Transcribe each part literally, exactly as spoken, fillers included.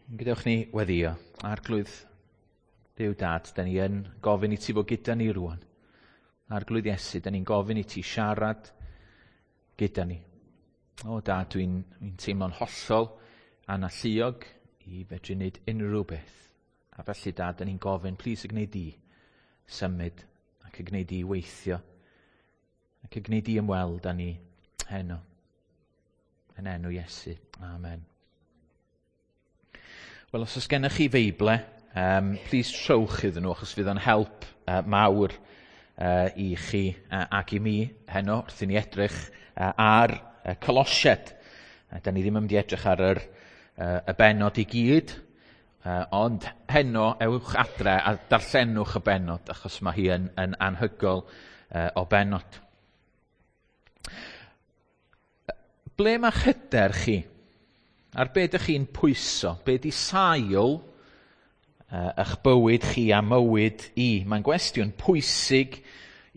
Gadewch ni weddio. Arglwydd Duw Dad, da ni yn gofyn i ti fod gyda ni rwan. Arglwydd Iesu, da ni'n gofyn i ti siarad gyda ni. O Dad, dwi'n dwi teimlo'n hollol analluog i fedru wneud unrhyw beth. A felly Dad, da ni'n gofyn, plis y gwneud di symud ac y gwneud di weithio ac y gwneud di ymweld â ni heno. Yn enw Iesu. Amen. Wel, os oes gennych chi Feible, um, please trowch iddyn nhw, achos fydd o'n help uh, mawr uh, i chi uh, ac i mi heno, wrth i ni edrych uh, ar uh, Colosiaid. Uh, da ni ddim yn mynd i edrych ar yr, uh, y bennod i gyd, uh, ond heno ewch adre a darllenwch y bennod, achos mae hi yn, yn anhygoel uh, o bennod. Ble mae'ch hyder chi? Ar be ydych chi'n pwyso? Be di sail uh, eich bywyd chi a mywyd i? Mae'n gwestiwn pwysig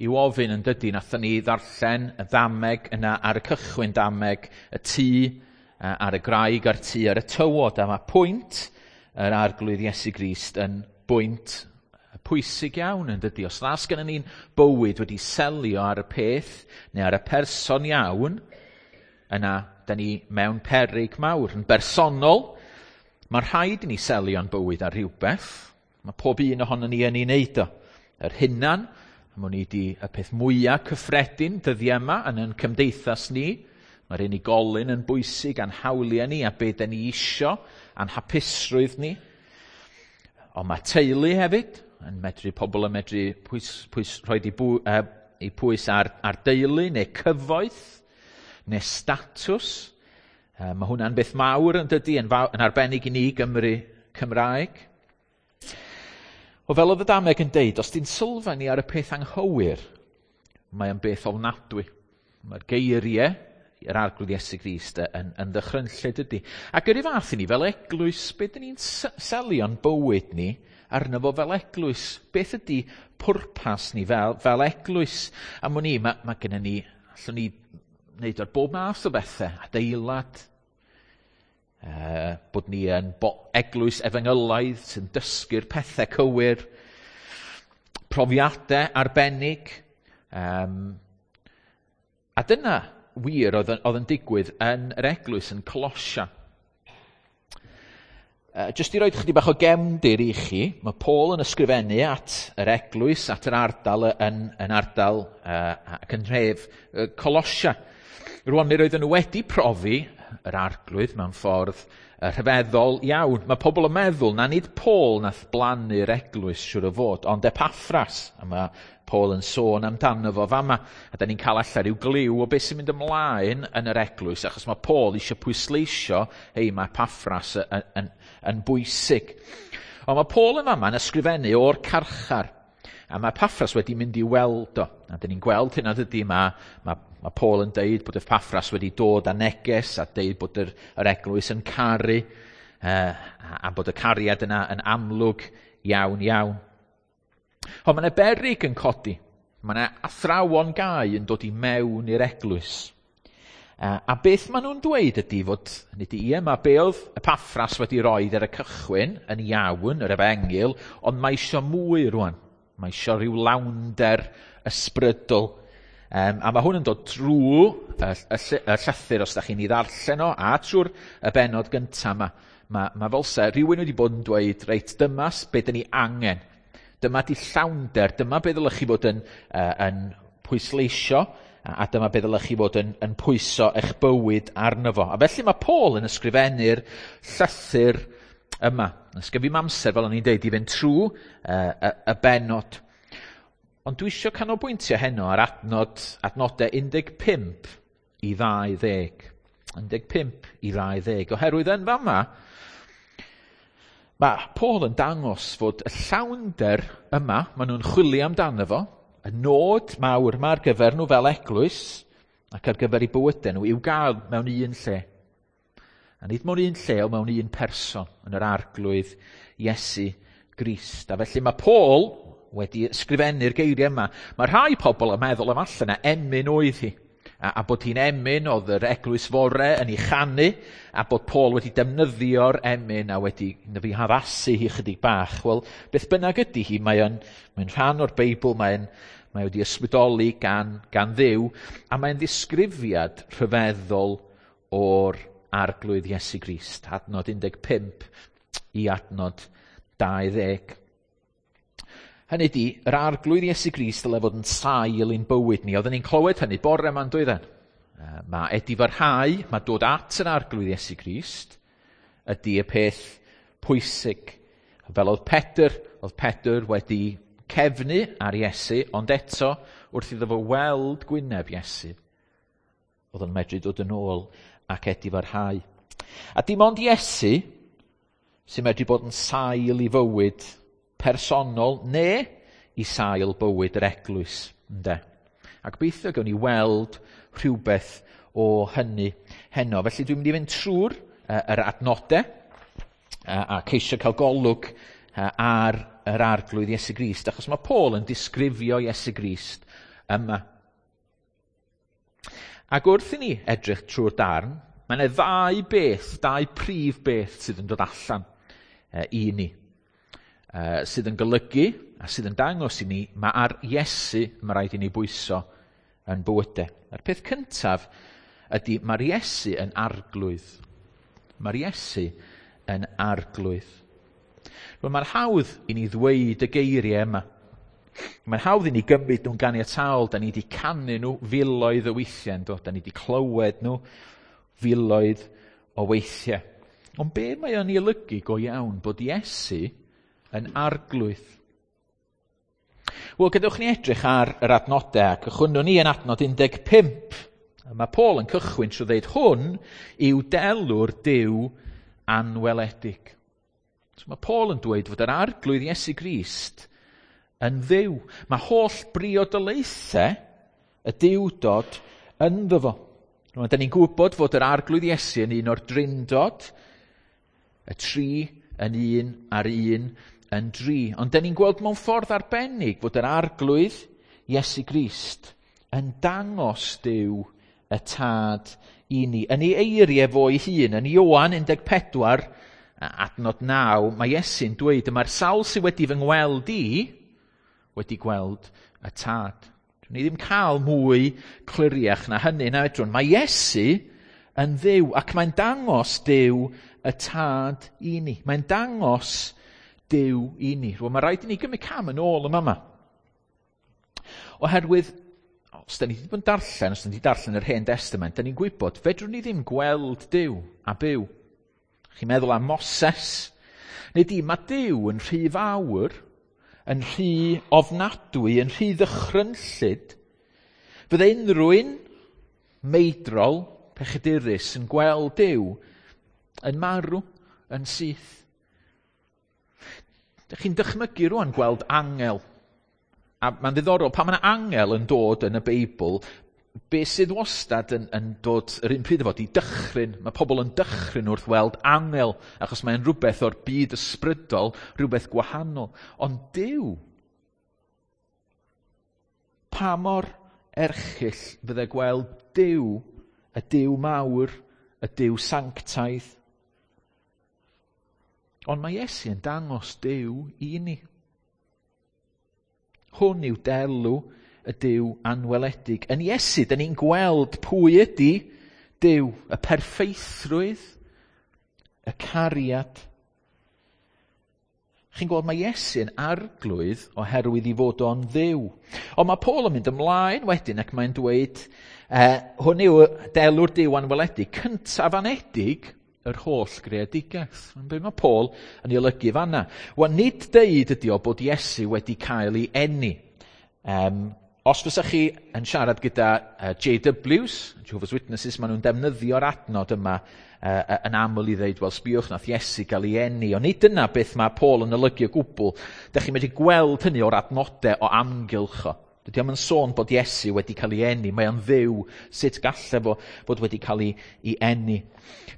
i'w ofyn yn dydy. Nathon ni ddarllen y ddameg yna ar y cychwyn, dameg y tŷ uh, ar y graig a'r tŷ ar y tywod. A mae pwynt yr Arglwydd Iesu Grist yn bwynt pwysig iawn yn dydy. Os nas gennym ni'n bywyd wedi selio ar y peth neu ar y person iawn, yna da ni mewn peryg mawr. Yn bersonol, mae rhaid i ni selio'n bywyd ar rhywbeth. Mae pob un ohono ni yn ei wneud o. Yr hunan, a mwyn i di y peth mwyaf cyffredin dyddiau yma yn ein cymdeithas ni. Mae'r unigolyn yn bwysig a'n hawliau ni a be da ni isio a'n hapusrwydd ni. Ond mae teulu hefyd, yn medru pobl yn medru pwys, pwys, rhoi i, bw, uh, i pwys ar, ar deulu neu cyfoeth, neu statws. Uh, mae hwnna'n beth mawr yn dydy, yn, faw, yn arbennig i ni Gymru Cymraeg. O fel oedd y dameg yn deud, os di'n sylfaen ni ar y peth anghywir, mae o'n beth ofnadwy. Mae'r geiriau yr Arglwydd Iesu Grist yn, yn ddychrynllyd ydy. Ac yr un fath i ni fel eglwys, be dyn ni'n selio'n bywyd ni arno fo fel eglwys? Beth ydy pwrpas ni fel, fel eglwys? A mwyn ni, mae, mae gennym ni, allwn ni wneud ar bob math o bethau, adeilad, uh, bod ni yn bo- eglwys efengylaidd sy'n dysgu'r pethau cywir, profiadau arbennig. Um, a dyna wir oedd, oedd yn digwydd yn yr eglwys yn Colosia. Uh, Jyst i roed chydig bach o gefndir i chi, mae Paul yn ysgrifennu at yr eglwys, at yr ardal yn, yn ardal uh, ac yn nhref uh, Colosia. Rwan, mi roedden nhw wedi profi yr Arglwydd mewn ffordd uh, rhyfeddol iawn. Mae pobl yn meddwl na nid Paul nath blannu'r eglwys siwr o fod, ond Epaffras. A mae Paul yn sôn amdano fo fama. A da ni'n cael allan rhyw gliw o beth sy'n mynd ymlaen yn yr eglwys, achos mae Paul eisiau pwysleisio, hei, mae Epaffras yn, yn, yn bwysig. Ond mae Paul yn fama yn ysgrifennu o'r carchar. A mae Epaffras wedi mynd i weld o. A dyn ni'n gweld hynna dydy, mae, mae, mae Paul yn deud bod Epaffras wedi dod â neges a deud bod yr, yr eglwys yn caru uh, a, a bod y cariad yna yn amlwg iawn iawn. Ond mae yna beryg yn codi. Mae yna athrawon gau yn dod i mewn i'r eglwys. Uh, a beth maen nhw'n dweud ydy fod, nid i yma, be oedd Epaffras wedi roed ar y cychwyn yn iawn, yr efengyl, ond mae isio mwy rwan. Mae isio rhyw lawnder ysbrydol. Um, a mae hwn yn dod drwy y, y, y llythyr, os da chi'n ei ddarllen o, a trwy'r y bennod gyntaf yma. Mae, mae fel se rhywun wedi bod yn dweud, reit, dyma be dyn ni angen. Dyma di llawnder, dyma be ddylech chi fod yn, uh, yn pwysleisio, a, a dyma be ddylech chi fod yn, yn pwyso eich bywyd arno fo. A felly mae Paul yn ysgrifennu'r llythyr yma. Ysgrif i'm amser, fel o'n i'n deud, i fynd trwy uh, y, y bennod. Ond dwi eisiau canolbwyntio heno ar adnod, adnodau un deg pump i ddau ddeg. un deg pump i ddau ddeg. Oherwydd yn fama, mae Paul yn dangos fod y llawnder yma, maen nhw'n chwilio amdano fo, y nod mawr yma ar gyfer nhw fel eglwys, ac ar gyfer eu bywydau nhw, i'w gael mewn un lle. A nid mewn un lle, ond mewn un person, yn yr Arglwydd Iesu Grist. A felly mae Paul wedi ysgrifennu'r geiriau yma. Mae rhai pobl yn meddwl am allan na emyn oedd hi. a, a bod hi'n emyn oedd yr eglwys fore yn ei chanu, a bod Paul wedi defnyddio'r emyn a wedi fi haddasu hi chydig bach. Wel, beth bynnag ydy hi, mae'n mae rhan o'r Beibl, mae'n mae wedi ysbrydoli gan, gan Dduw, a mae'n ddisgrifiad rhyfeddol o'r Arglwydd Iesu Grist, adnod un deg pump i adnod dau ddeg. Hynny ydi, yr Arglwydd Iesu Grist dyle fod yn sail i'n bywyd ni. Oedden ni'n clywed hynny bore yma'n doedden. Mae edifarhau, mae dod at yr Arglwydd Iesu Grist ydy y peth pwysig. Fel oedd Pedr, oedd Pedr wedi cefnu ar Iesu, ond eto wrth iddo fo weld gwyneb Iesu, oedd o'n medru dod yn ôl ac edifarhau. A dim ond Iesu sy'n medru bod yn sail i fywyd personol neu i sail bywyd yr eglwys, ynde? A gobeithio gawn ni weld rhywbeth o hynny heno. Felly dwi'n mynd i fynd trwy'r uh, yr adnodau uh, a ceisio cael golwg uh, ar yr Arglwydd Iesu Grist, achos mae Paul yn disgrifio Iesu Grist yma. Ac wrth i ni edrych trwy'r darn, mae yna ddau beth, dau prif beth sydd yn dod allan uh, i ni. Uh, sydd yn golygu a sydd yn dangos i ni, mae ar Iesu mae rhaid i ni bwyso yn bywydau. A'r peth cyntaf ydy mae'r Iesu yn arglwydd. Mae'r Iesu yn arglwydd. Wel, mae'n hawdd i ni ddweud y geiriau yma. Mae'n hawdd i ni gymryd nhw'n ganiataol. Da ni wedi canu nhw filoedd o weithiau, do? Da ni wedi clywed nhw filoedd o weithiau. Ond be mae o'n ei olygu go iawn bod Iesu yn arglwydd? Wel, gadewch ni edrych ar yr adnodau, ac cychwynnwn ni yn adnod un deg pump. Mae Paul yn cychwyn trwy ddeud hwn yw delw'r Duw anweledig. So mae Paul yn dweud fod yr Arglwydd Iesu Grist yn Dduw. Mae holl briodolaethau y Duwdod ynddo fo. Rwan, da ni'n gwybod fod yr Arglwydd Iesu yn un o'r Drindod, y tri yn un a'r un yn dri. Ond da ni'n gweld mewn ffordd arbennig fod yr Arglwydd Iesu Grist yn dangos Duw y Tad i ni. Yn ei eiriau fo ei hun, yn Ioan un deg pedwar, adnod naw, mae Iesu'n dweud, yma'r sawl sydd wedi fy ngweld i wedi gweld y Tad. Dwi'n ni ddim cael mwy cliriach na hynny, na fedrwn. Mae Iesu yn Dduw, ac mae'n dangos Duw y Tad i ni. Mae'n dangos Duw i ni. Rwan, mae rhaid i ni gymryd cam yn ôl yma yma. Oherwydd, os da ni wedi bod yn darllen, os da ni wedi darllen yr Hen Testament, da ni'n gwybod, fedrwn ni ddim gweld Duw a byw. Chi'n meddwl am Moses? Neu di, mae Duw yn rhy fawr, yn rhy ofnadwy, yn rhy ddychrynllyd. Fydde unrhyw un meidrol, pechadurus, yn gweld Duw yn marw, yn syth. Dych chi'n dychmygu rwan gweld angel. A mae'n ddiddorol, pan mae yna angel yn dod yn y Beibl, be sydd wastad yn, yn dod yr un pryd efo, di dychryn. Mae pobl yn dychryn wrth weld angel, achos mae'n rhywbeth o'r byd ysbrydol, rhywbeth gwahanol. Ond Duw, pa mor erchyll fydde gweld Duw, y Duw mawr, y Duw sanctaidd. Ond mae Iesu yn dangos Duw i ni. Hwn yw delw y Duw anweledig. Yn Iesu, da ni'n gweld pwy ydy Duw, y perffeithrwydd, y cariad. Chi'n gweld mae Iesu yn arglwydd oherwydd i fod o'n Dduw. Ond mae Paul yn mynd ymlaen wedyn ac mae'n dweud, eh, hwn yw delw'r Duw anweledig, cyntaf anedig yr holl greadigaeth. Be mae Paul yn ei olygu fanna? Wel, nid deud ydy o bod Iesu wedi cael ei eni. Um, os fysa chi yn siarad gyda uh, J Ws, Jehovah's Witnesses, maen nhw'n defnyddio'r adnod yma uh, yn aml i ddeud, wel, sbiwch nath Iesu gael ei eni. Ond nid dyna beth mae Paul yn olygu o gwbl. Dych chi'n medru gweld hynny o'r adnodau o amgylch o. Dydy o'm yn sôn bod Iesu wedi cael ei eni. Mae o'n Dduw, sut galle fo fod wedi cael ei, ei eni.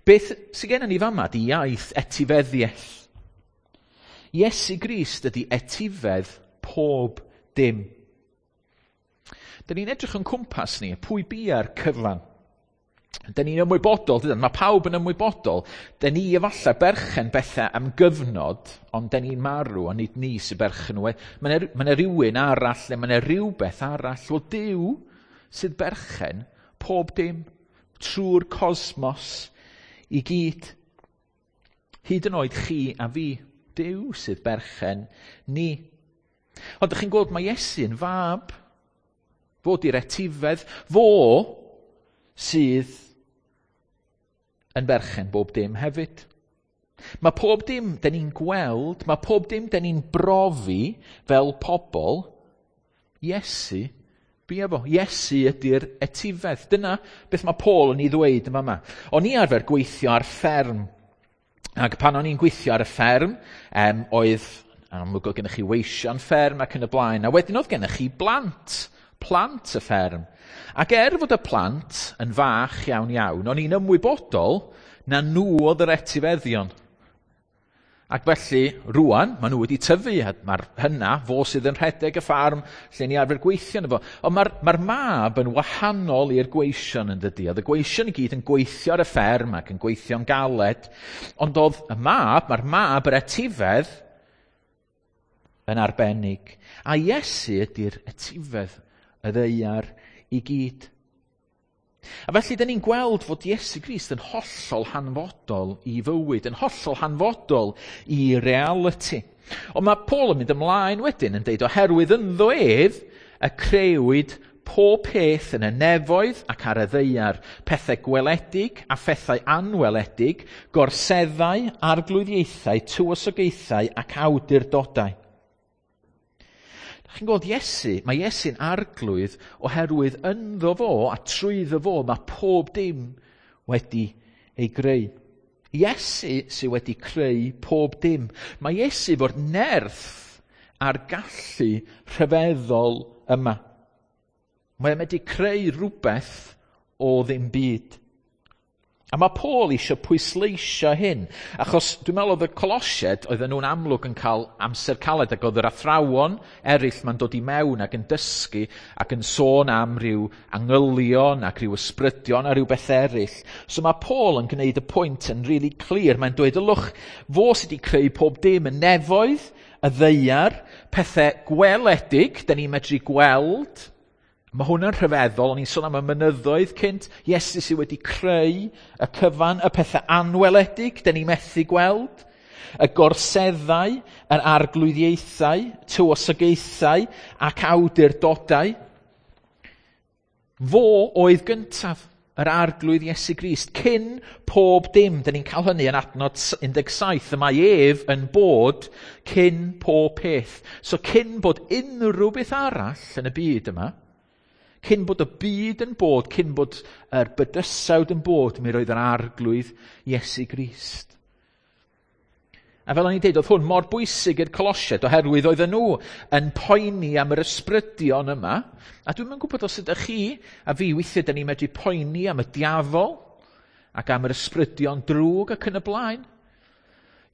Beth sydd gennym ni fama di iaith etifeddiaeth. Iesu Grist ydy etifedd pob dim. Dyn ni'n edrych yn cwmpas ni, pwy bia'r cyfan? Dyn ni'n ymwybodol, dydan? Mae pawb yn ymwybodol. Dyn ni efallai berchen bethau am gyfnod, ond dyn ni'n marw, ond nid ni sy'n berchen nhw. Mae yna rhywun arall, neu mae yna rhywbeth arall. Wel, Duw sydd berchen pob dim, trwy'r cosmos i gyd. Hyd yn oed chi a fi, Duw sydd berchen ni. Ond ydych chi'n gweld mae Iesu'n fab, fo di'r etifedd, fo sydd yn berchen bob dim hefyd. Mae pob dim dyn ni'n gweld, mae pob dim dyn ni'n brofi fel pobl, Iesu bia fo. Iesu ydy'r etifedd. Dyna beth mae Paul yn ei ddweud yma yma. O'n i arfer gweithio ar fferm. Ac pan o'n i'n gweithio ar y fferm, um, oedd, amlwg oedd gennych chi weision fferm ac yn y blaen, a wedyn oedd gennych chi blant, plant y fferm. Ac er fod y plant yn fach iawn iawn, o'n i'n ymwybodol na nhw oedd yr etifeddion. Ac felly, rwan, maen nhw wedi tyfu, a mae'r hynna, fo sydd yn rhedeg y ffarm lle ni arfer gweithio yno fo. Ond mae'r mae mab yn wahanol i'r gweision yn dydi. Oedd y gweision i gyd yn gweithio ar y fferm ac yn gweithio'n galed. Ond oedd y mab, mae'r mab yr etifedd yn arbennig. A Iesu ydy'r etifedd y ddaear i gyd. A felly, dyn ni'n gweld fod Iesu Grist yn hollol hanfodol i fywyd, yn hollol hanfodol i reality. Ond mae Paul yn mynd ymlaen wedyn yn deud, oherwydd ynddo ef y creuwyd pob peth yn y nefoedd ac ar y ddaear, pethau gweledig a phethau anweledig, gorseddau, arglwyddiaethau, tywysogaethau ac awdurdodau. Chi'n gweld Iesu, mae Iesu'n arglwydd oherwydd ynddo fo a trwyddo fo mae pob dim wedi ei greu. Iesu sydd wedi creu pob dim. Mae Iesu fo'r nerth a'r gallu rhyfeddol yma. Mae wedi creu rhywbeth o ddim byd. A mae Paul eisiau pwysleisio hyn, achos dwi'n meddwl oedd y Colosiaid, oedden nhw'n amlwg yn cael amser caled, ac oedd yr athrawon eraill ma'n dod i mewn ac yn dysgu ac yn sôn am ryw angylion ac ryw ysbrydion a ryw beth eraill. So mae Paul yn gwneud y pwynt yn really clir. Mae'n dweud, ylwch, fo sydd wedi creu pob dim, y nefoedd, y ddaear, pethau gweledig, da ni'n medru gweld. Mae hwnna'n rhyfeddol, o'n i'n sôn am y mynyddoedd cynt. Iesu sydd wedi creu y cyfan, y pethau anweledig, dyn ni methu gweld, y gorseddau, yr arglwyddiaethau, tywysogaethau ac awdurdodau. Fo oedd gyntaf, yr arglwydd Iesu Grist, cyn pob dim. Dyn ni'n cael hynny yn adnod un deg saith, y mae ef yn bod cyn pob peth. So cyn bod unrhyw beth arall yn y byd yma, cyn bod y byd yn bod, cyn bod yr bydysawd yn bod, mi roedd yr arglwydd Iesu Grist. A fel o'n i'n deud, oedd hwn mor bwysig i'r Colosiaid, oherwydd oedden nhw yn poeni am yr ysbrydion yma. A dwi'm yn gwybod os ydych chi a fi weithiau dyn ni'n medru poeni am y diafol ac am yr ysbrydion drwg ac yn y blaen.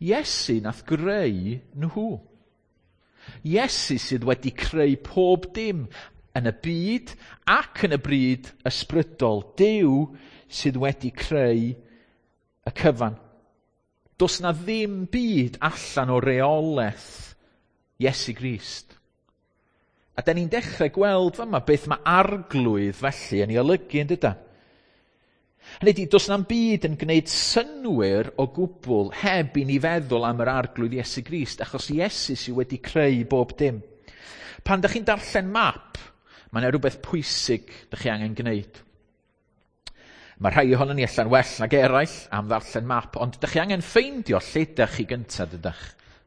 Iesu nath greu nhw. Iesu sydd wedi creu pob dim yn y byd ac yn y bryd ysbrydol. Duw sydd wedi creu y cyfan. Does na ddim byd allan o reolaeth Iesu Grist. A da ni'n dechrau gweld fama beth mae arglwydd felly yn ei olygu yn dydan. Hynny ydi, does na'm byd yn gwneud synnwyr o gwbl heb i ni feddwl am yr arglwydd Iesu Grist, achos Iesu sydd wedi creu bob dim. Pan dych chi'n darllen map, mae yna rhywbeth pwysig dych chi angen gwneud. Mae rhai ohonon ni allan well nag eraill am ddarllen map, ond dych chi angen ffeindio lle dych chi gyntaf, dydych.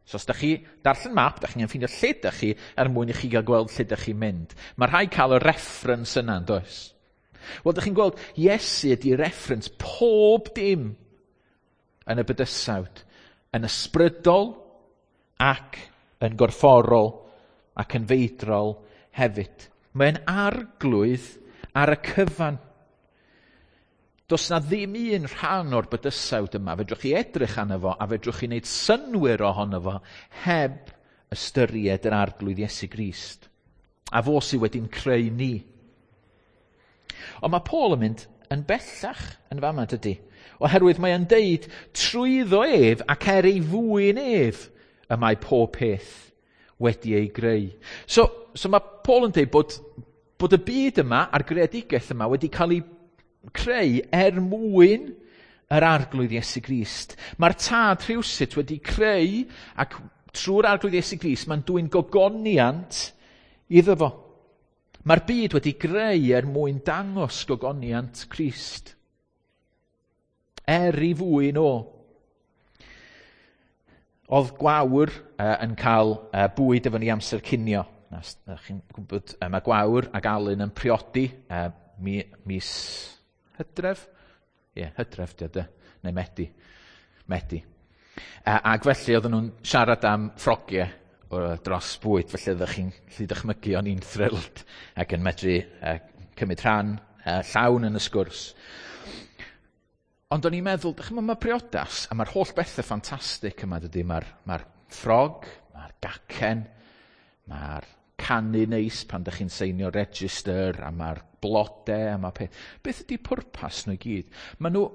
So os dych chi darllen map, dych chi angen ffeindio lle dych chi er mwyn i chi gael gweld lle dych chi'n mynd. Mae rhai cael y reference yna, yn does? Wel, dych chi'n gweld, Iesu ydy reference pob dim yn y bydysawd, yn ysbrydol ac yn gorfforol ac yn feidrol hefyd. Mae'n arglwydd ar y cyfan. Does na ddim un rhan o'r bydysawd yma. Fedrwch chi edrych arno fo a fedrwch chi wneud synnwyr ohono fo heb ystyried yr arglwydd Iesu Grist. A fo sydd wedi'n creu ni. Ond mae Paul yn mynd yn bellach yn fama, dydy. Oherwydd mae o'n deud, trwyddo ef ac er ei fwyn ef, y mae pob peth wedi ei greu. So, so mae Paul yn deud bod, bod y byd yma a'r greadigaeth yma wedi cael ei creu er mwyn yr Arglwydd Iesu Grist. Mae'r Tad rhywsut wedi creu, ac trwy'r Arglwydd Iesu Grist, mae'n dwyn gogoniant iddo fo. Mae'r byd wedi greu er mwyn dangos gogoniant Crist. Er i fwyn o. Oedd Gwawr uh, yn cael uh, bwyd efo ni amser cinio. Na, na, chi'n gwybod, uh, mae Gwawr ac Alun yn priodi uh, mi, mis Hydref? Ie, yeah, Hydref, di o, neu Medi. Medi. Uh, ac felly oedden nhw'n siarad am ffrogiau dros bwyd, felly oeddech chi'n gallu dychmygu o'n i'n thrilled ac yn medru uh, cymryd rhan uh, llawn yn y sgwrs. Ond o'n i'n meddwl, dych chi'n mae priodas, a mae'r holl bethau ffantastig yma, dydy, mae'r mae ffrog, mae'r gacen, mae'r canu neis pan dych chi'n seinio register, a mae'r blodau, a mae peth. Beth ydy pwrpas nhw i gyd? Maen nhw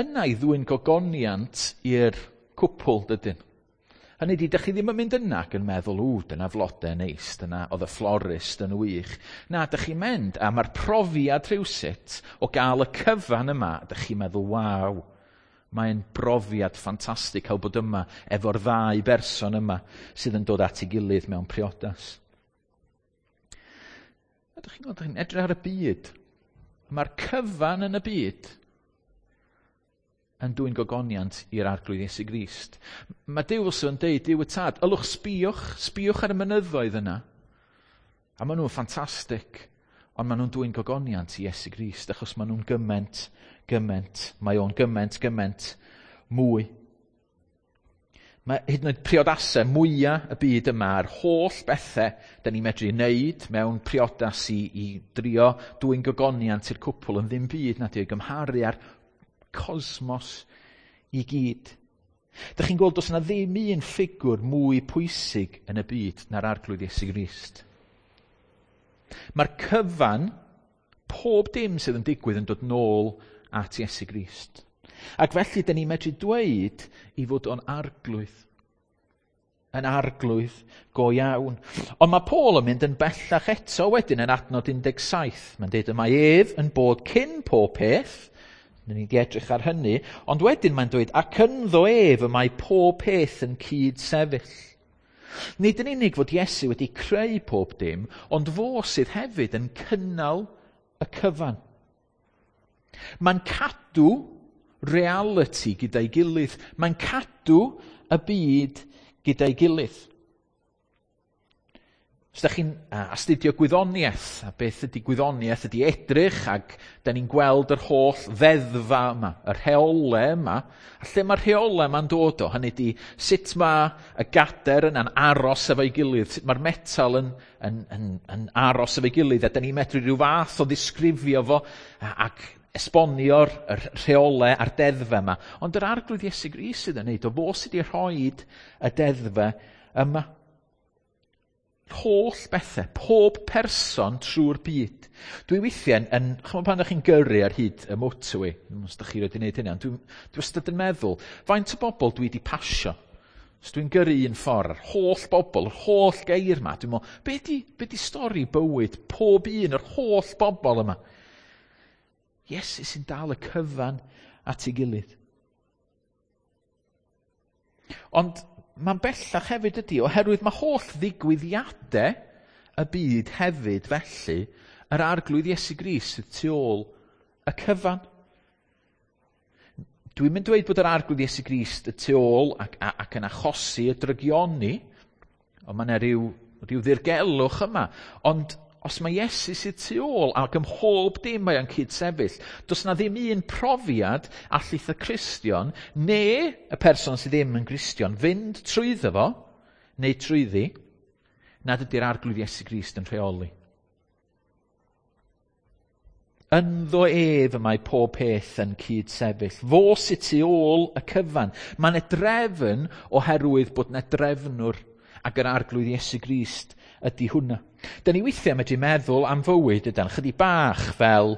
yna i ddwyn gogoniant i'r cwpl, dydyn. Hynny ydy, dych chi ddim yn mynd yna ac yn meddwl, ww, dyna flodau neis, dyna oedd y florist yn wych. Na, dych chi'n mynd, a mae'r profiad rhywsut o gael y cyfan yma, dych chi'n meddwl, waw, mae'n brofiad ffantastig cael bod yma efo'r ddau berson yma sydd yn dod at ei gilydd mewn priodas. A dych chi'n gweld, dych chi'n edrych ar y byd. Mae'r cyfan yn y byd yn dwyn gogoniant i'r Arglwydd Iesu Grist. Mae Duw wrth yn deud, Duw y Tad, ylwch sbïwch, sbïwch ar y mynyddoedd yna. A maen nhw'n ffantastig, ond maen nhw'n dwyn gogoniant i Iesu Grist, achos maen nhw'n gymaint, gymaint, mae o'n gymaint, gymaint mwy. Mae hyd yn oed priodasau mwyaf y byd yma, yr holl bethau da ni'n medru wneud mewn priodas i, i drio dwyn gogoniant i'r cwpl yn ddim byd na di o'i gymharu ar cosmos i gyd. Dych chi'n gweld does yna ddim un ffigwr mwy pwysig yn y byd na'r Arglwydd Iesu Grist. Mae'r cyfan, pob dim sydd yn digwydd yn dod nôl at Iesu Grist. Ac felly, dyn ni'n medru dweud i fod o'n arglwydd. Yn arglwydd go iawn. Ond mae Paul yn mynd yn bellach eto wedyn yn adnod un deg saith. Mae'n dweud y mae ef yn bod cyn pob peth. Ni wedi edrych ar hynny, ond wedyn mae'n dweud, ac ynddo ef y mae pob peth yn cyd-sefyll. Nid yn unig fod Iesu wedi creu pob dim, ond fo sydd hefyd yn cynnal y cyfan. Mae'n cadw reality gyda'i gilydd. Mae'n cadw y byd gyda'i gilydd. Os ydych chi'n astudio gwyddoniaeth, a beth ydy gwyddoniaeth ydy edrych, ac da ni'n gweld yr holl ddeddfa yma, y rheolau yma, a lle mae'r rheolau yma'n dod o, hynny ydy sut mae y gader yna'n aros efo'i gilydd, sut mae'r metal yn, yn, yn, yn aros efo'i gilydd, a da ni'n medru rhyw fath o ddisgrifio fo ac esbonio'r rheolau a'r deddfau yma. Ond yr Arglwydd Iesu Grist sydd yn neud o, fo sydd wedi rhoi y deddfau yma. Holl bethau, pob person trwy'r byd. Dwi weithiau yn, yn chymod pan ydych chi'n gyrru ar hyd y motorway, os ydych chi wedi gwneud hynny, ond dwi'n dwi wastad yn meddwl, faint o bobl dwi wedi pasio? Os dwi'n gyrru un ffordd, yr holl bobl, yr holl geir yma, dwi'n meddwl, be di, be di stori bywyd pob un, yr holl bobl yma? Iesu sy'n dal y cyfan at ei gilydd. Ond mae'n bellach hefyd ydy, oherwydd mae holl ddigwyddiadau y byd hefyd felly, yr Arglwydd Iesu Grist sydd tu ôl y cyfan. Dwi'n mynd dweud bod yr Arglwydd Iesu Grist y tu ôl ac, ac yn achosi y drygioni, ond mae yna rhyw, rhyw ddirgelwch yma. Ond os mae Iesu sydd tu ôl ac ym mhob dim mae o'n cyd-sefyll, does na ddim un profiad allith y Cristion neu y person sydd ddim yn Gristion fynd trwyddo fo, neu trwyddi, nad ydy'r Arglwydd Iesu Grist yn rheoli. Ynddo ef y mae pob peth yn cyd-sefyll. Fo sydd tu ôl y cyfan. Mae 'na drefn oherwydd bod 'na drefnwr. Ac yr Arglwydd Iesu Grist ydy hwnna. Da ni weithiau medru meddwl am fywyd ydan, chydig bach fel,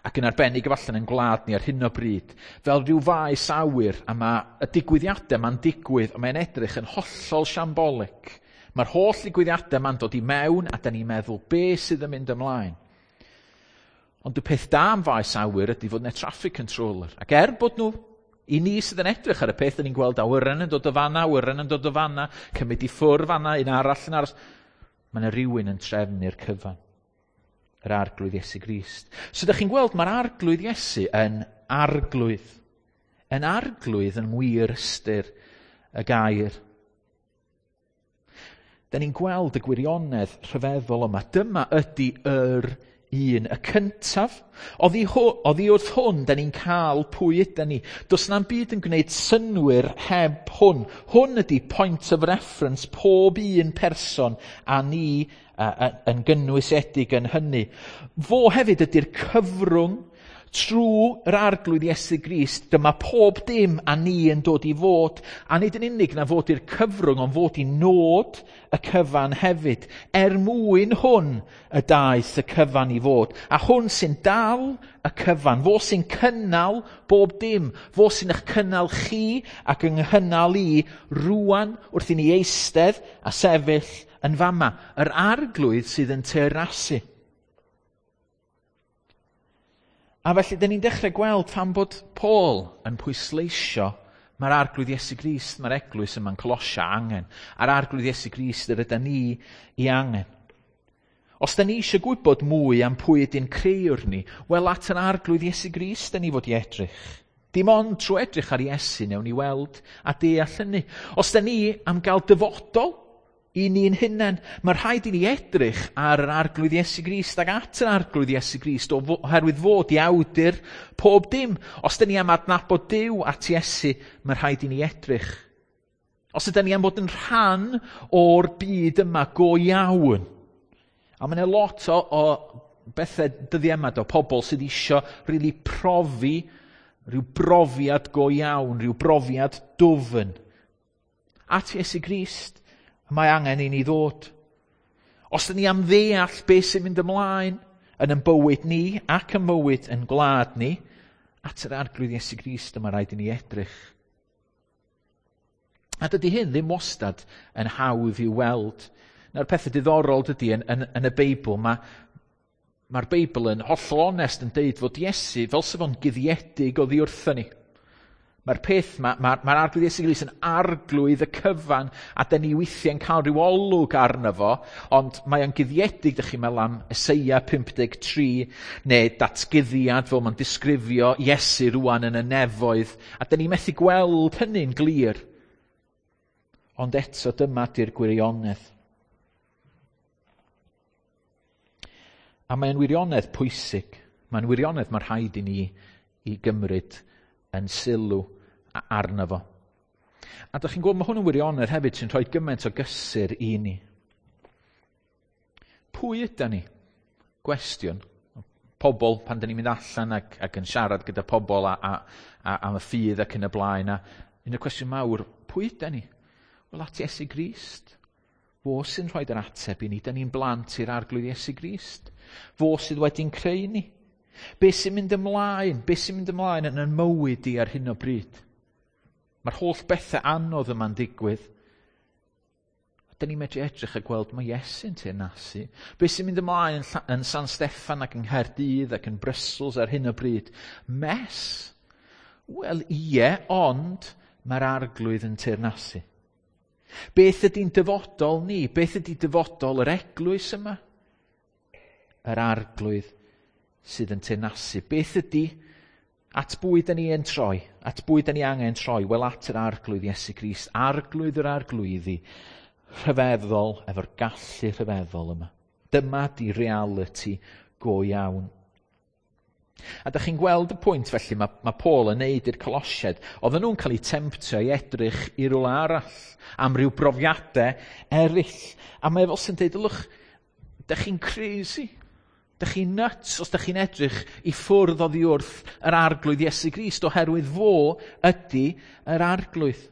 ac yn arbennig efallai yn gwlad ni ar hyn o bryd, fel rhyw faes awyr, a mae y digwyddiadau ma'n digwydd, a mae'n edrych yn hollol shambolic. Mae'r holl ddigwyddiadau ma'n dod i mewn, a da ni'n meddwl be sydd yn mynd ymlaen. Ond y peth da am faes awyr ydy fod yna traffic controller. Ac er bod nhw, i ni sydd yn edrych ar y peth, da ni'n gweld awyren yn dod o fanna, awyren yn dod o fanna, cymryd i ffwrdd fanna, un arall yn aros. Mae yna rhywun yn trefnu'r cyfan. Yr Arglwydd Iesu Grist. So ydych chi'n gweld, mae'r Arglwydd Iesu yn arglwydd. Yn arglwydd yn wir ystyr y gair. Da ni'n gweld y gwirionedd rhyfeddol yma. Dyma ydy yr un, y cyntaf. Oddi, oddi wrth hwn, da ni'n cael pwy yda ni. Does na'm byd yn gwneud synnwyr heb hwn. Hwn ydy point of reference pob un person a ni a, a, yn gynnwysedig yn hynny. Fo hefyd ydy'r cyfrwng trwy yr Arglwydd Iesu Grist. Dyma pob dim a ni yn dod i fod, a nid yn unig na fod i'r cyfrwng, ond fod i nod y cyfan hefyd. Er mwyn hwn y daeth y cyfan i fod. A hwn sy'n dal y cyfan, fo sy'n cynnal bob dim, fo sy'n eich cynnal chi ac yng nghynnal i rwan wrth i ni eistedd a sefyll yn fama. Yr Arglwydd sydd yn teyrnasu. A felly, dyn ni'n dechrau gweld pam bod Paul yn pwysleisio mae'r Arglwydd Iesu Grist, mae'r eglwys yma'n Colosia angen, a'r Arglwydd Iesu Grist yr ydy ni i angen. Os da ni eisiau gwybod mwy am pwy ydy'n creuwr ni, wel at yr Arglwydd Iesu Grist da ni fod i edrych. Dim ond trwy edrych ar Iesu newn ni weld a deall hynny. Os da ni am gael dyfodol i ni'n hunain, mae rhaid i ni edrych ar yr Arglwydd Iesu Grist ac at yr Arglwydd Iesu Grist oherwydd fod i awdur pob dim. Os da ni am adnabod Duw at Iesu, mae rhaid i ni edrych. Os ydyn ni am fod yn rhan o'r byd yma go iawn, a mae yna lot o, o bethau dyddiau yma, do, pobl sydd isio really profi rhyw brofiad go iawn, rhyw brofiad dwfn. At Iesu Grist, mae angen i ni ddod. Os ydyn ni am ddeall beth sy'n mynd ymlaen yn ein bywyd ni ac yn mywyd yn gwlad ni, at yr Arglwydd Iesu Grist yma rhaid i ni edrych. A dydy hyn ddim wastad yn hawdd i'w weld. Na'r pethau diddorol dydy yn, yn, yn y Beibl, mae, mae'r Beibl yn hollol onest yn deud fod Iesu fel sef o'n guddiedig oddi wrthyn ni. Mae'r peth, mae'r ma, ma Arglwydd Iesu Grist yn arglwydd y cyfan, a dyn ni weithiau'n cael rhyw olwg arno fo, ond mae o'n guddiedig, dych chi'n meddwl am Eseia pump deg tri, neu datguddiad fel mae'n disgrifio Iesu rwan yn y nefoedd, a dyn ni methu gweld hynny'n glir. Ond eto dyma di'r gwirionedd. A mae'n wirionedd pwysig. Mae'n wirionedd mae rhaid i ni i gymryd yn sylw arno fo. A dych chi'n gweld, mae hwn yn wirionedd hefyd sy'n rhoi gymaint o gysur i ni. Pwy yda ni? Gwestiwn. Pobl, pan dyn ni'n mynd allan ac, ac yn siarad gyda pobl a, a, a, am y ffydd ac yn y blaen, a un o'r cwestiwn mawr, pwy yda ni? Wel, at Iesu Grist. Fo sy'n rhoi'r ateb i ni. Da ni'n blant i'r Arglwydd Iesu Grist. Fo sydd wedi'n creu ni. Be sy'n mynd ymlaen? Be sy'n mynd ymlaen yn yn mywyd i ar hyn o bryd? Mae'r holl bethau anodd yma'n digwydd. Da ni'n medru edrych a gweld mae Iesu'n teyrnasu. Be sy'n mynd ymlaen yn, yn San Steffan ac yng Nghaerdydd ac yn Brussels ar hyn o bryd? Mess? Wel, ie, ond mae'r Arglwydd yn teyrnasu. Beth ydy'n dyfodol ni? Beth ydy dyfodol yr eglwys yma? Yr Arglwydd sydd yn teyrnasu. Beth ydy, at bwy da ni yn troi? At bwy da ni angen troi? Wel, at yr Arglwydd Iesu Grist. Arglwydd yr arglwyddi, rhyfeddol, efo'r gallu rhyfeddol yma. Dyma di reality go iawn. A dych chi'n gweld y pwynt felly mae, mae Paul yn neud i'r Colosiaid. Oedden nhw'n cael eu temtio i edrych i rywle arall am ryw brofiadau eraill. A mae fel sy'n deud, ylwch, dych chi'n crazy. Dych chi'n nuts os dych chi'n edrych i ffwrdd oddi wrth yr Arglwydd Iesu Grist, oherwydd fo ydy yr Arglwydd.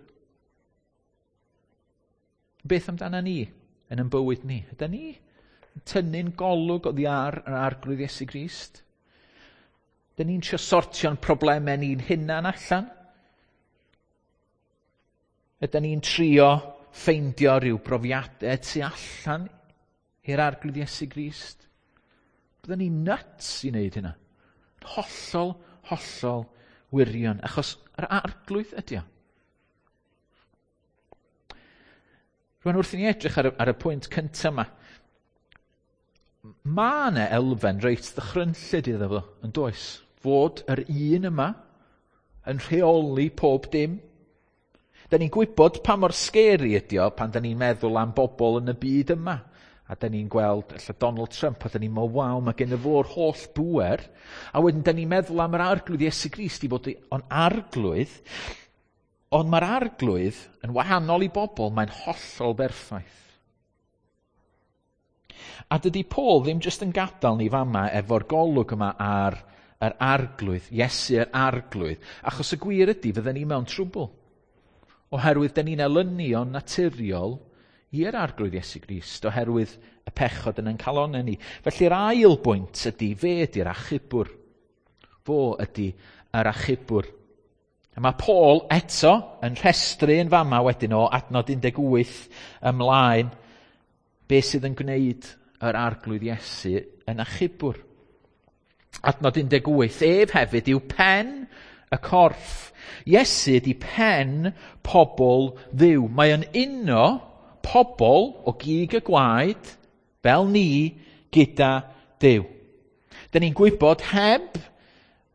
Beth amdana ni yn ein bywyd ni? Ydy ni yn tynnu'n golwg oddi ar yr Arglwydd Iesu Grist? Ydy ni'n trio sortio'n problemau ni'n hunan allan? Ydy ni'n trio ffeindio rhyw brofiadau tu allan i'r Arglwydd Iesu Grist? Byddwn ni'n nuts i wneud hynna. Hollol, hollol wirion, achos yr Arglwydd ydy o. Rwan wrth i ni edrych ar y, ar y pwynt cyntaf yma, mae yna elfen reit ddychrynllyd iddo fo, yn does? Fod yr un yma yn rheoli pob dim. Da ni'n gwybod pa mor scary ydi o pan da ni'n meddwl am bobl yn y byd yma. A da ni'n gweld ella Donald Trump, a da ni'n meddwl, waw, mae gen y fo'r holl bŵer. A wedyn da ni'n meddwl am yr Arglwydd Iesu Grist i fod o'n arglwydd. Ond mae'r Arglwydd yn wahanol i bobl, mae'n hollol berffaith. A dydy Paul ddim jyst yn gadael ni fama efo'r golwg yma ar yr Arglwydd, Iesu yr Arglwydd, achos y gwir ydy fydden ni mewn trwbl. Oherwydd dyn ni'n elynion naturiol i'r Arglwydd Iesu Grist, oherwydd y pechod yn ein calonnau ni. Felly'r ail bwynt ydy, fe ydy'r achubwr. Fo ydy yr achubwr. A mae Paul eto yn rhestru yn fama wedyn o adnod un deg wyth ymlaen be sydd yn gwneud yr Arglwydd Iesu yn achubwr. Adnod un deg wyth, ef hefyd yw pen y corff. Iesu ydy pen pobl Dduw. Mae yn uno pobl o gig y gwaed, fel ni, gyda Duw. Dyn ni'n gwybod heb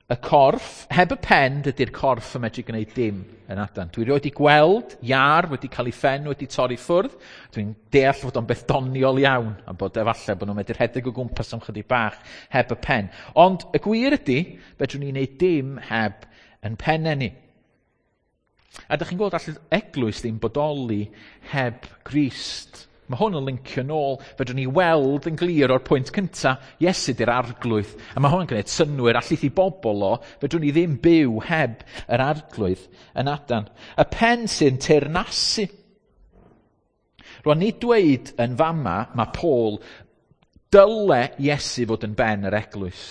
y corff, heb y pen, dydy'r corff yn medru gwneud dim yn adan. Dwi rioed wedi gweld iâr wedi cael ei phen wedi torri ffwrdd. Dwi'n deall fod o'n beth doniol iawn, a bod efallai bod nhw'n medru rhedeg o gwmpas am chydig bach heb y pen. Ond y gwir ydy, fedrwn ni wneud dim heb yn pennau ni. A dych chi'n gweld all eglwys ddim bodoli heb Grist. Mae hwn yn lincio nôl. Fedrwn ni weld yn glir o'r pwynt cynta, Iesu di'r Arglwydd. A mae hwn yn gwneud synnwyr allith i bobl o, fedrwn ni ddim byw heb yr Arglwydd yn adan. Y pen sy'n teyrnasu. Rwan, ni dweud yn fama, mae Paul, dyle Iesu fod yn ben yr eglwys.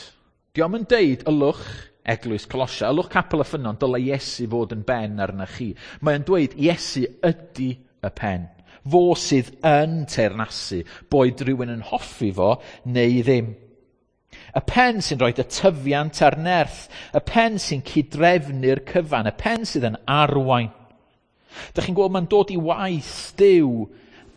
Dio'm yn deud, ylwch eglwys Colosia, ylwch Capel y Ffynnon, dyle Iesu fod yn ben arna chi. Mae'n dweud, Iesu ydy y pen. Fo sydd yn teyrnasu, boed rhywun yn hoffi fo neu ddim. Y pen sy'n rhoi y tyfiant a'r nerth, y pen sy'n cydrefnu'r cyfan, y pen sydd yn arwain. Dych chi'n gweld mae'n dod i waith Duw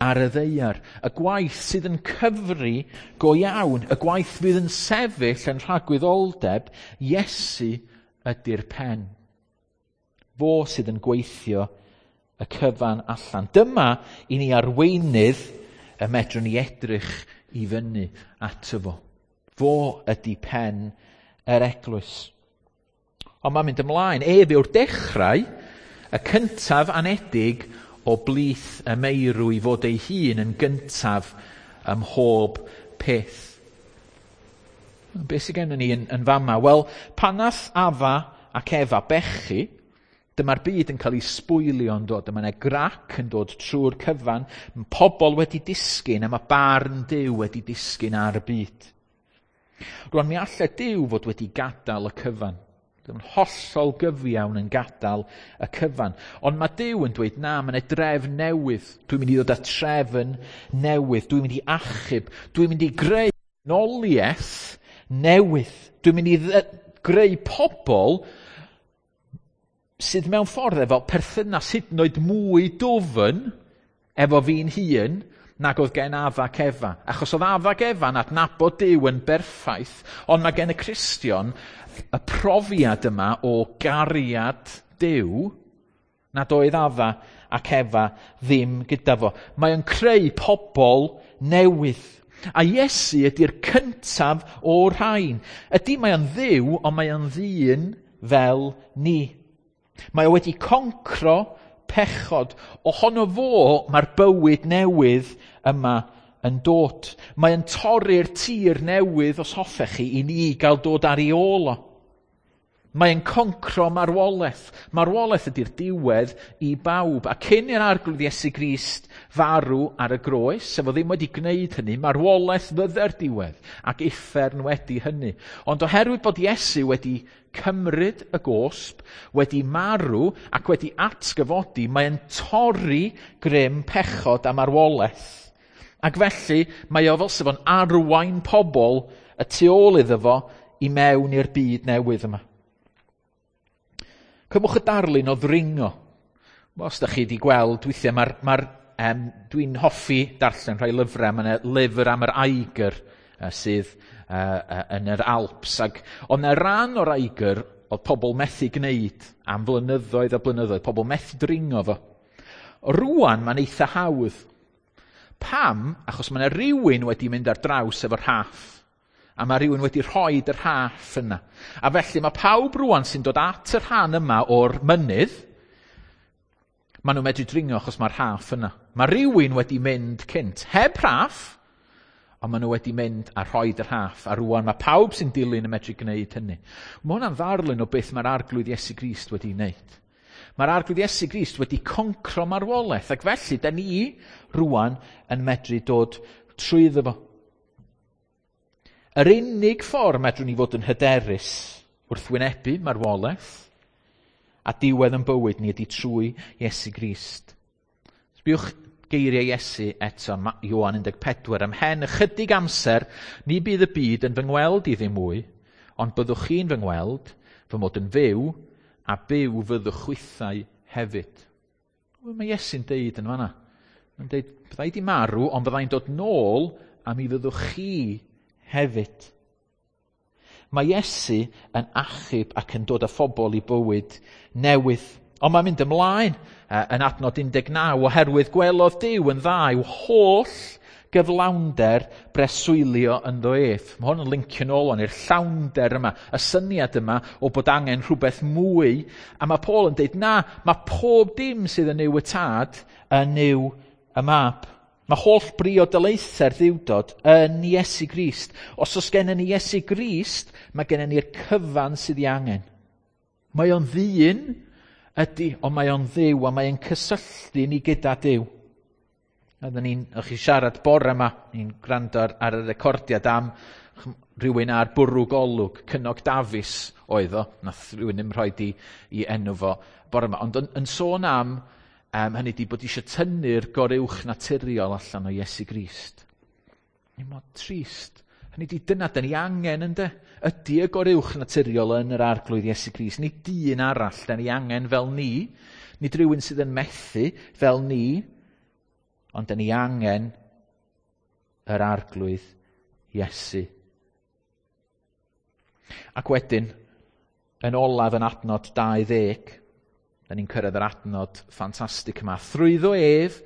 ar y ddaear, y gwaith sydd yn cyfri go iawn, y gwaith fydd yn sefyll yn rhagwyddoldeb, Iesu ydy'r pen. Fo sydd yn gweithio y cyfan allan. Dyma i ni arweinydd y medrwn ni edrych i fyny ato fo. Fo ydy pen yr eglwys. Ond mae'n mynd ymlaen. Ef yw'r dechrau, y cyntaf anedig o blith y meirw i fod ei hun yn gyntaf ym mhob peth. Be sydd gennym ni yn, yn fama? Wel, pan nath Afa ac Efa bechu, dyma'r byd yn cael ei sbwylio yn dod. Dyma yna grac yn dod trwy'r cyfan. Mae pobl wedi disgyn a mae barn Duw wedi disgyn ar y byd. Rwan, mi allai Duw fod wedi gadael y cyfan. Dyma'n hollol gyfiawn yn gadael y cyfan. Ond mae Duw yn dweud, na, mae yna drefn newydd. Dwi'n mynd i ddod â trefn newydd. Dwi'n mynd i achub. Dwi'n mynd i greu noliaeth newydd. Dwi'n mynd i greu pobl sydd mewn ffordd efo perthynas hyd yn oed mwy dwfn efo fi'n hun nag oedd gen Afa ac Efa. Achos oedd Afa ac Efa'n adnabod Duw yn berffaith, ond mae gen y Cristion y profiad yma o gariad Duw nad oedd Afa ac Efa ddim gyda fo. Mae o'n creu pobl newydd. A Iesu ydy'r cyntaf o'r rhain. Ydy mae o'n Dduw, ond mae o'n ddyn fel ni. Mae o wedi concro pechod. Ohono fo mae'r bywyd newydd yma yn dod. Mae yn torri'r tir newydd, os hoffech chi, i ni gael dod ar ei ôl o. Mae'n concro marwolaeth. Marwolaeth ydy'r diwedd i bawb. A cyn i'r Arglwydd Iesu Grist farw ar y groes, sef o ddim wedi gwneud hynny, marwolaeth fydde'r diwedd ac uffern wedi hynny. Ond oherwydd bod Iesu wedi cymryd y gosb, wedi marw ac wedi atgyfodi, mae'n torri grym pechod a marwolaeth. Ac felly mae o fel sef o'n arwain pobl y tu ôl iddo fo i mewn i'r byd newydd yma. Cymwch y darlun o ddringo. Os da chi wedi gweld, weithiau mae'r, mae'r, um, dwi'n hoffi darllen rhai lyfrau. Mae yna lyfr am yr Eiger uh, sydd uh, uh, yn yr Alps. Ac oedd yna ran o'r Eiger oedd pobl methu gwneud am flynyddoedd a blynyddoedd. Pobl methu dringo fo. Rwan mae'n eitha hawdd. Pam? Achos mae yna rhywun wedi mynd ar draws efo'r rhaff. A mae rhywun wedi rhoi y rhaff yna. A felly mae pawb rwan sy'n dod at y rhan yma o'r mynydd, maen nhw'n medru dringo achos mae'r rhaff yna. Mae rhywun wedi mynd cynt, heb rhaff, ond maen nhw wedi mynd a rhoi y rhaff. A rwan mae pawb sy'n dilyn yn medru gwneud hynny. Mae hwnna'n ddarlun o beth mae'r Arglwydd Iesu Grist wedi wneud. Mae'r Arglwydd Iesu Grist wedi concro marwolaeth, ac felly da ni rwan yn medru dod trwyddo fo. Yr unig ffordd medrwn ni fod yn hyderus wrth wynebu marwolaeth a diwedd yn bywyd ni ydy trwy Iesu Grist. Sbiwch geiriau Iesu eto, Ioan un deg pedwar, ymhen ychydig amser, ni bydd y byd yn fy ngweld i ddim mwy, ond byddwch chi'n fy ngweld, fy mod yn fyw, a byw fyddwch chwithau hefyd. Mae Iesu'n deud yn fanna. Mae'n deud, byddai di marw, ond byddai'n dod nôl, a mi fyddwch chi hefyd. Mae Iesu yn achub ac yn dod â phobl i bywyd newydd. Ond mae'n mynd ymlaen yn adnod un deg naw, oherwydd gwelodd Duw yn dda i'w holl gyflawnder breswylio ynddo ef. Mae hwn yn lincio nôl o'n i'r llawnder yma, y syniad yma o bod angen rhywbeth mwy. A mae Paul yn deud, na, mae pob dim sydd yn Nuw y Tad yn Nuw y Mab. Mae holl briodolaethau'r ddiwdod yn Iesu Grist. Os oes gennym ni Iesu Grist, mae gennym ni'r cyfan sydd ei angen. Mae o'n ddyn ydy, ond mae o'n Dduw, a mae o'n cysylltu ni gyda Duw. Oedden ni'n, o'ch chi siarad bore yma, ni'n gwrando ar, ar y recordiad am rhywun ar bwrw golwg, Cynog Dafis oedd o, nath rhywun ddim rhoi i, i enw fo bore yma. Ond yn, yn sôn am Um, hynny di bod eisiau tynnu'r goruwch naturiol allan o Iesu Grist. Ni mor trist. Hynny di dyna da ni angen ynde. Ydy y goruwch naturiol yn yr Arglwydd Iesu Grist. Nid dyn arall da ni angen fel ni. Nid rhywun sydd yn methu fel ni. Ond da ni angen yr Arglwydd Iesu. Ac wedyn, yn olaf yn adnod dau ddeg, da ni'n cyrraedd yr adnod ffantastig yma. Thrwyddo ef,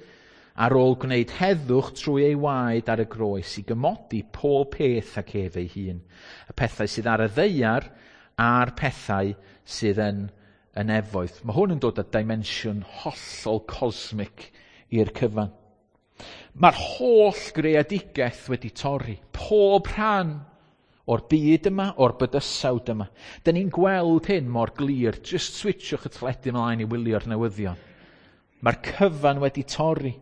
ar ôl gwneud heddwch trwy ei waed ar y groes i gymodi pob peth ac ef ei hun. Y pethau sydd ar y ddaear a'r pethau sydd yn y nefoedd. Mae hwn yn dod â dimensiwn hollol cosmic i'r cyfan. Mae'r holl greadigaeth wedi torri. Pob rhan o'r byd yma, o'r bydysawd yma. Da ni'n gweld hyn mor glir. Just switchwch y teledu ymlaen i wylio'r newyddion. Mae'r cyfan wedi torri.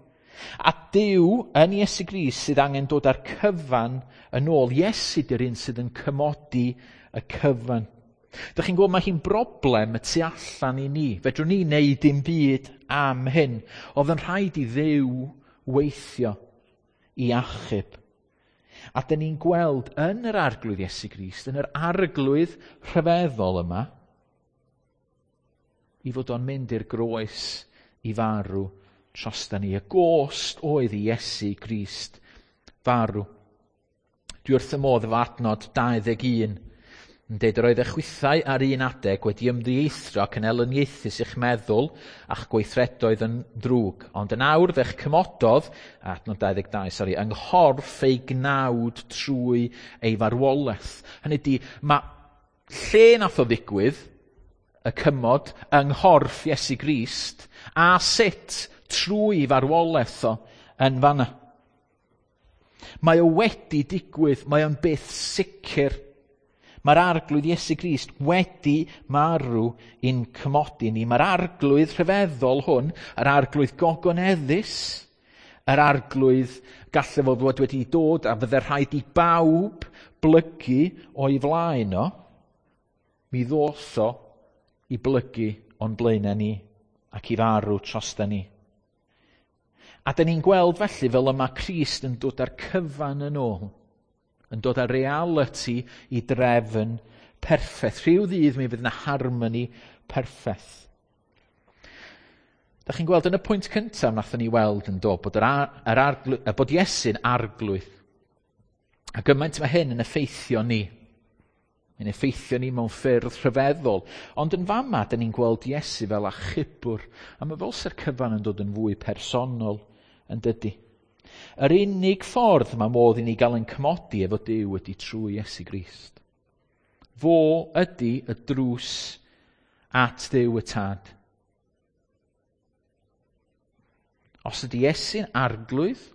A Duw yn Iesu Grist sydd angen dod â'r cyfan yn ôl. Iesu di'r un sydd yn cymodi y cyfan. Dych chi'n gweld mae hi'n broblem y tu allan i ni. Fedrwn ni wneud dim byd am hyn. Oedd yn rhaid i Dduw weithio i achub. A dyn ni'n gweld yn yr Arglwydd Iesu Grist, yn yr Arglwydd rhyfeddol yma, i fod o'n mynd i'r groes i farw drosta ni. Y gost oedd i Iesu Grist farw. Dwi wrth y modd efo adnod dau ddeg un, yn deud yr oedd eich chwithau ar un adeg wedi ymddieithrio ac yn elyniaethus i'ch meddwl a'ch gweithredoedd yn ddrwg. Ond yn awr fe'ch cymododd, adnod dau ddeg dau, sori, yng nghorff ei gnawd trwy ei farwolaeth. Hynny ydi, mae lle nath o ddigwydd, y cymod, yng nghorff Iesu Grist, a sut trwy farwolaeth o yn fanna. Mae o wedi digwydd, mae o'n beth sicr. Mae'r Arglwydd Iesu Grist wedi marw i'n cymodi ni. Mae'r Arglwydd rhyfeddol hwn, yr Arglwydd gogoneddus, yr Arglwydd gallai fo fod wedi dod a fydde rhaid i bawb blygu o'i flaen o, mi ddoth o i blygu o'n blaenau ni ac i farw trosta ni. A dyn ni'n gweld felly fel yma Crist yn dod â'r cyfan yn ôl, yn dod â reality i drefn perffaith. Rhyw ddydd mi fydd yna harmony perffaith. Da chi'n gweld yn y pwynt cyntaf nathon ni weld yn dod bod, yr ar, yr arglwy, bod Iesu'n arglwydd. A gymaint mae hyn yn effeithio ni. Mae'n effeithio ni mewn ffyrdd rhyfeddol. Ond yn fama, dyn ni'n gweld Iesu fel achubwr. A mae fel sy'r cyfan yn dod yn fwy personol, yn dydy. Yr unig ffordd mae modd i ni gael yn cymodi efo Duw ydy trwy Iesu Grist. Fo ydy y drws at Dduw y Tad. Os ydy Iesu'n arglwydd,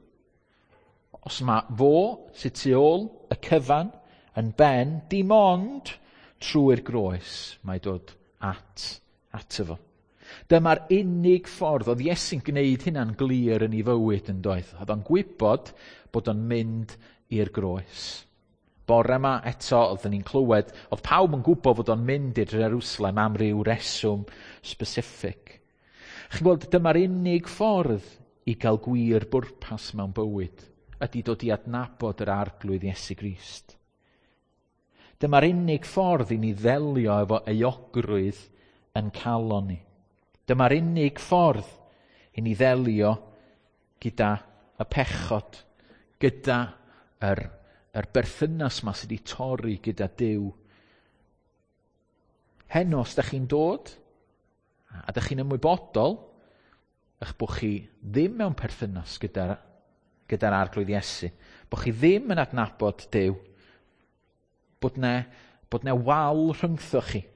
os mae fo sydd tu ôl y cyfan yn ben, dim ond trwy'r groes mae dod at, ato fo. Dyma'r unig ffordd oedd Iesu'n gwneud hynna'n glir yn ei fywyd yn doedd. Oedd o'n gwybod bod o'n mynd i'r groes. Bore yma eto oedden ni'n clywed, oedd pawb yn gwybod fod o'n mynd i'r Jerusalem am ryw reswm specific. Chi'n gweld, dyma'r unig ffordd i gael gwir bwrpas mewn bywyd, ydy dod i adnabod yr Arglwydd Iesu Grist. Dyma'r unig ffordd i ni ddelio efo euogrwydd yn calon ni. Dyma'r unig ffordd i ni ddelio gyda y pechod, gyda yr, yr berthynas ma sydd wedi torri gyda Duw. Heno, os da chi'n dod, a da chi'n ymwybodol, eich bod chi ddim mewn perthynas gyda'r gyda'r Arglwydd Iesu, bod chi ddim yn adnabod Duw, bod ne, bod ne wal rhyngtho chi.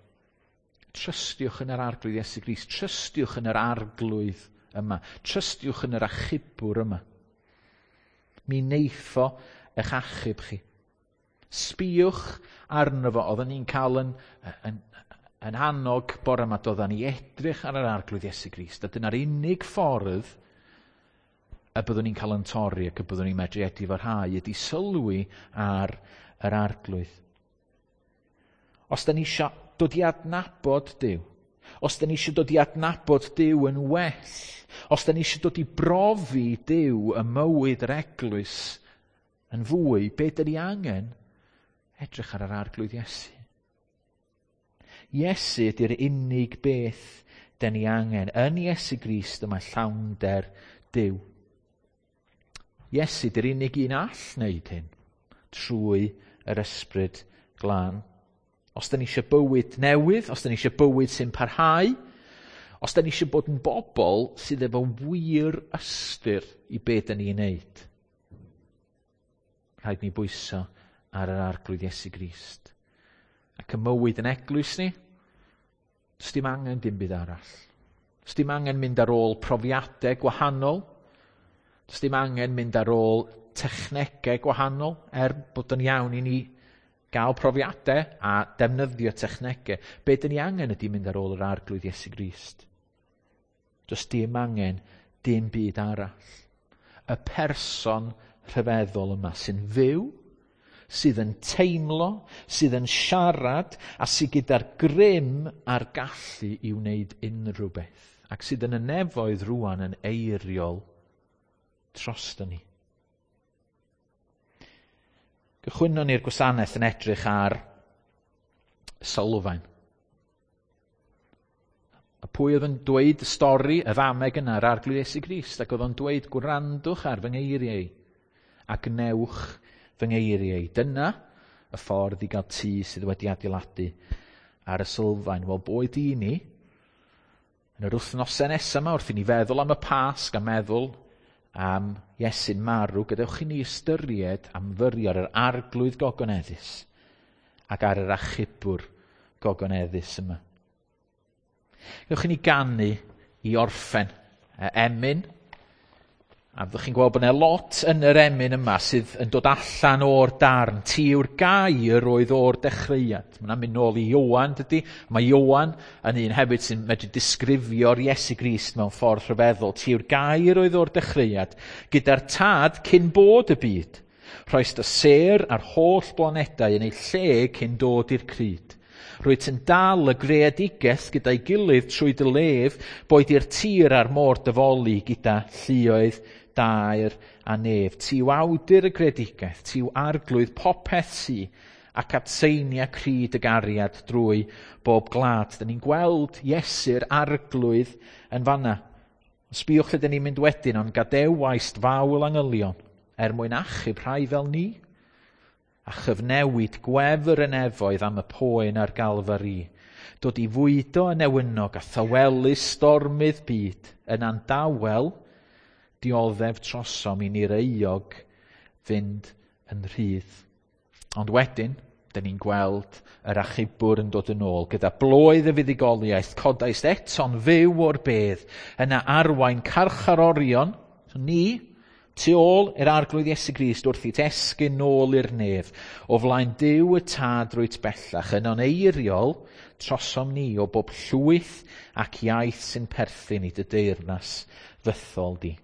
Trystiwch yn yr Arglwydd Iesu Grist, trystiwch yn yr Arglwydd yma, trystiwch yn yr achubwr yma. Mi neitho eich achub chi. Sbïwch arno fo, oedden ni'n cael yn, yn, yn annog bore yma, doedden ni edrych ar yr Arglwydd Iesu Grist, a dyna'r unig ffordd y byddwn ni'n cael yn torri ac y byddwn ni'n medru edifarhau ydy sylwi ar yr Arglwydd. Os da ni eisiau dod i adnabod Duw, os da ni eisiau dod i adnabod Duw yn well, os da ni eisiau dod i brofi Duw y mywyd yr eglwys yn fwy, be da ni angen? Edrych ar yr Arglwydd Iesu. Iesu ydy'r unig beth da ni angen. Yn Iesu Grist y mae llawnder Duw. Iesu ydy'r unig un all wneud hyn trwy yr Ysbryd Glân. Os da ni eisiau bywyd newydd, os da ni eisiau bywyd sy'n parhau, os da ni eisiau bod yn bobl sydd efo wir ystyr i be da ni'n neud, rhaid ni bwyso ar yr Arglwydd Iesu Grist. Ac y mywyd yn eglwys ni, does dim angen dim byd arall. Does dim angen mynd ar ôl profiadau gwahanol. Does dim angen mynd ar ôl technegau gwahanol, er bod yn iawn i ni gael profiadau a defnyddio technegau. Be dyn ni angen ydy mynd ar ôl yr Arglwydd Iesu Grist. Does dim angen dim byd arall. Y person rhyfeddol yma sy'n fyw, sydd yn teimlo, sydd yn siarad, a sydd gyda'r grym a'r gallu i wneud unrhyw beth, ac sydd yn y nefoedd rŵan yn eiriol drosto ni. Gychwynnon ni'r gwasanaeth yn edrych ar sylfaen. A pwy oedd yn dweud y stori, y ddameg yna, yr Arglwydd Iesu Grist, ac oedd o'n dweud, gwrandwch ar fy ngeiriau a gwnewch fy ngeiriau. Dyna y ffordd i gael tŷ sydd wedi adeiladu ar y sylfaen. Wel, boed i ni, yn yr wythnosau nesaf yma, wrth i ni feddwl am y Pasg a meddwl am Iesu'n marw, gadewch i ni ystyried am fyrio ar yr Arglwydd gogoneddus ac ar yr achubwr gogoneddus yma. Gadewch i ni ganu i orffen emyn A fyddwch chi'n gweld bod yna lot yn yr emyn yma sydd yn dod allan o'r darn. Ti yw'r gair oedd o'r dechreuad. Mae'n mynd nôl i Ioan, dydy? Mae Ioan yn un hefyd sy'n medru disgrifio'r Iesu Grist mewn ffordd rhyfeddol. Ti yw'r gair oedd o'r dechreuad, gyda'r tad cyn bod y byd. Rhoist y sêr a'r holl blanedau yn ei lle cyn dod i'r cryd. Rwyt yn dal y greadigaeth gyda'i gilydd trwy dy lef, boed i'r tir a'r môr dyfoli gyda lluoedd dair a nef. Ti yw awdur y greadigaeth, ti yw arglwydd popeth sy, ac atseinia cryd y gariad drwy bob gwlad. Dyn ni'n gweld Iesu'r arglwydd yn fanna. Sbïwch lle dyn ni'n mynd wedyn, ond gadewaist fawl angylion er mwyn achub rhai fel ni, a chyfnewid gwefr y nefoedd am y poen ar Galfari, dod i fwydo y newynog a thawelu stormydd byd yn andawel, dioddef trosom i ni'r euog fynd yn rhydd. Ond wedyn, dyn ni'n gweld yr achubwr yn dod yn ôl gyda bloedd y fuddugoliaeth, codaist eto'n fyw o'r bedd, yna arwain carcharorion, so ni, tu ôl i'r arglwydd Iesu Grist wrth i esgyn nôl i'r nef, o flaen Duw y tad rwyt bellach, yno'n eiriol trosom ni o bob llwyth ac iaith sy'n perthyn i dy deyrnas fythol di.